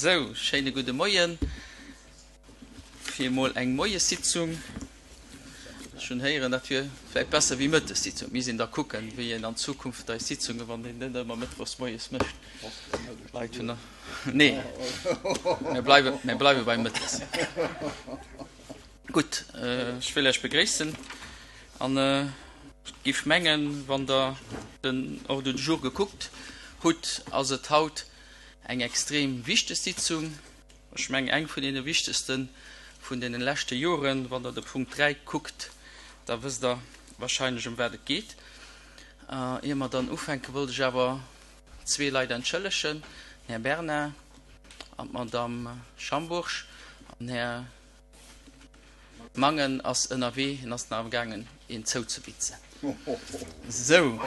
Sou, schéine gudde Moien. Fir emol eng Moiessitzung. Ech hunn héieren, dat wier vläicht besser wéi Mëttessitzung. Mir sinn da kucken, wéi een an Zukunft eis Sitzungen, wann een net ëmmer mëttwochs moies mécht. Leit hunn. Nee, mir bleiwe, mir bleiwe bei mëttes. Gutt, ech wëll Iech begréissen an ech giff mengen, wann Der den Ordre du jour gekuckt hutt, ass et haut Eng extrem wichteg Sitzung, ech mengen eng vun deene wichtegste vun deene leschte Joren. Wann Der de Punkt 3 kuckt, da wësst Der wahrscheinlech ëm wat et geet. Ier mer dann ufänken, wollt ech awer zwee Leit entschëllegen, den Här Bernard an d'Madame Schambourg. An den Här Mangen ass ënnerwee, hien ass nach amgaangen een zouzebitzen. Sou.